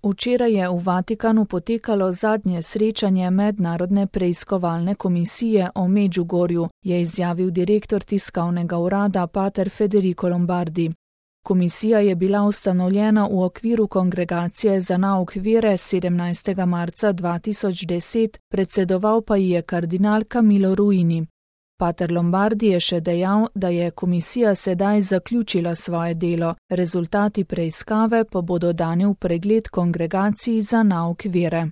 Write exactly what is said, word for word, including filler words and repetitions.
Včeraj je v Vatikanu potekalo zadnje srečanje Mednarodne preiskovalne komisije o Medžugorju, je izjavil direktor tiskovnega urada pater Federico Lombardi. Komisija je bila ustanovljena v okviru Kongregacije za nauk vere sedemnajstega marca dva tisoč deset, predsedoval pa ji je kardinal Camillo Ruini. Pater Lombardi je še dejal, da je komisija sedaj zaključila svoje delo, rezultati preiskave pa bodo dani v pregled Kongregaciji za nauk vere.